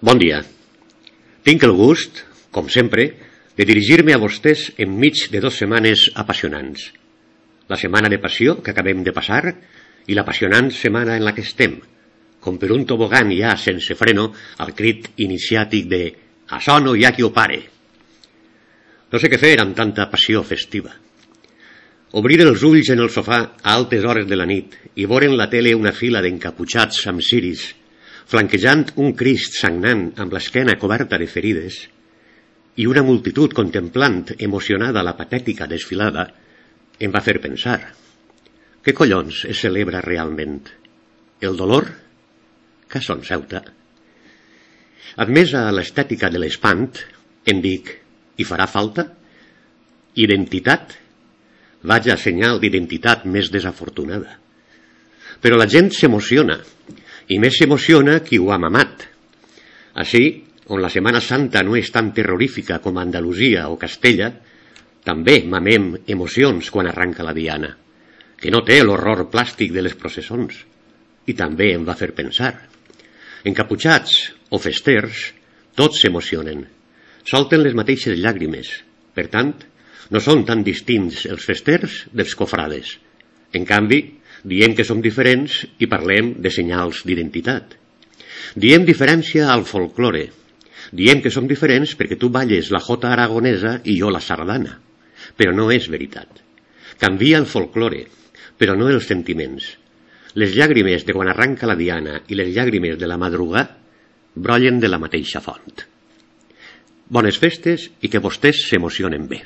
Bon dia. Tinc el gust, com sempre, de dirigir-me a vostès enmig de 2 setmanes apassionants. La setmana de passió que acabem de passar i l'apassionant setmana en la que estem, com per un tobogan ja sense freno al crit iniciàtic de «Açò no hi ha qui ho pare». No sé què fer amb tanta passió festiva. Obrir els ulls en el sofà a altes hores de la nit i veure en la tele una fila d'encaputxats amb ciris, flanquejant un Crist sagnant amb l'esquena coberta de ferides, i una multitud contemplant emocionada la patètica desfilada, em va fer pensar. Què collons es celebra realment? El dolor? Que son Ceuta. Admesa a l'estètica de l'espant, em dic, hi farà falta? Identitat? Vaja senyal d'identitat més desafortunada. Però la gent s'emociona, i més s'emociona qui ho ha mamat. Així, on la Setmana Santa no és tan terrorífica com a Andalusia o Castella, també mamem emocions quan arranca la diana, que no té l'horror plàstic de les processons, i també em va fer pensar. Encaputxats o festers, tots s'emocionen, solten les mateixes llàgrimes, per tant, no són tan distints els festers dels cofrades. En canvi, diem que som diferents i parlem de senyals d'identitat. Diem diferència al folklore. Diem que som diferents perquè tu balles la jota aragonesa i jo la sardana. Però no és veritat. Canvia el folklore, però no els sentiments. Les llàgrimes de quan arranca la diana i les llàgrimes de la madrugada brollen de la mateixa font. Bones festes i que vostès s'emocionen bé.